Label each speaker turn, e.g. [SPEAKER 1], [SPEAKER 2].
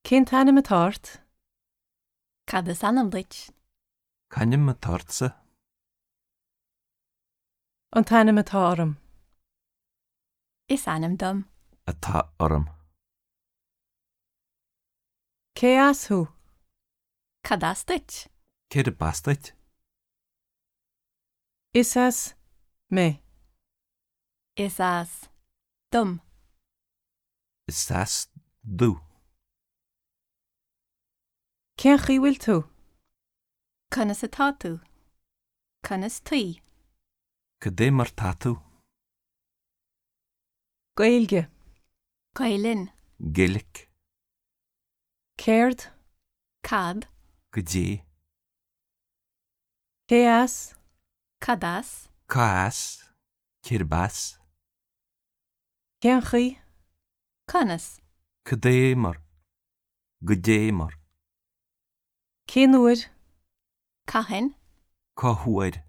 [SPEAKER 1] Cén t-ainm atá ort?
[SPEAKER 2] Cad is ainm duit?
[SPEAKER 3] C'ainm atá ortsa?
[SPEAKER 1] An t-ainm atá orm.
[SPEAKER 2] Is ainm dom.
[SPEAKER 3] Atá orm.
[SPEAKER 1] Cé as thú?
[SPEAKER 2] Cad as duit?
[SPEAKER 3] Cérb as duit?
[SPEAKER 1] Is as mé.
[SPEAKER 2] Is as dom.
[SPEAKER 3] Is as domh.
[SPEAKER 1] Cén chaoi bhfuil tú?
[SPEAKER 2] Conas atá tú? Conas taoi?
[SPEAKER 3] Cad é mar tá tú?
[SPEAKER 1] Gaeilge.
[SPEAKER 2] Gaelainn.
[SPEAKER 3] Gaelic.
[SPEAKER 1] Céard?
[SPEAKER 2] Cad?
[SPEAKER 3] Goidé.
[SPEAKER 1] Cé as?
[SPEAKER 2] Cad as?
[SPEAKER 3] Cá as? Cérb as?
[SPEAKER 1] Cén chaoi?
[SPEAKER 2] Conas?
[SPEAKER 3] Cad é mar? Goidé mar?
[SPEAKER 1] Cén uair?
[SPEAKER 2] Cathain?
[SPEAKER 3] Cá huair?